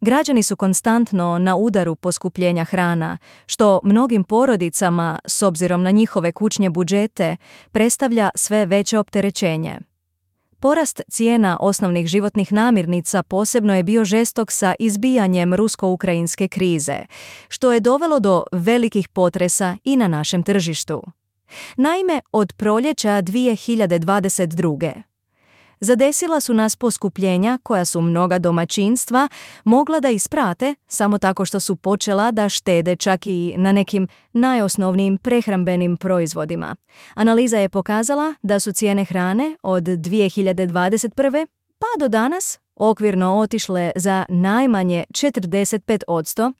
Građani su konstantno na udaru poskupljenja hrana, što mnogim porodicama, s obzirom na njihove kućne budžete, predstavlja sve veće opterećenje. Porast cijena osnovnih životnih namirnica posebno je bio žestok sa izbijanjem rusko-ukrajinske krize, što je dovelo do velikih potresa i na našem tržištu. Naime, od proljeća 2022. zadesila su nas poskupljenja koja su mnoga domaćinstva mogla da isprate samo tako što su počela da štede čak i na nekim najosnovnijim prehrambenim proizvodima. Analiza je pokazala da su cijene hrane od 2021. pa do danas okvirno otišle za najmanje 45%,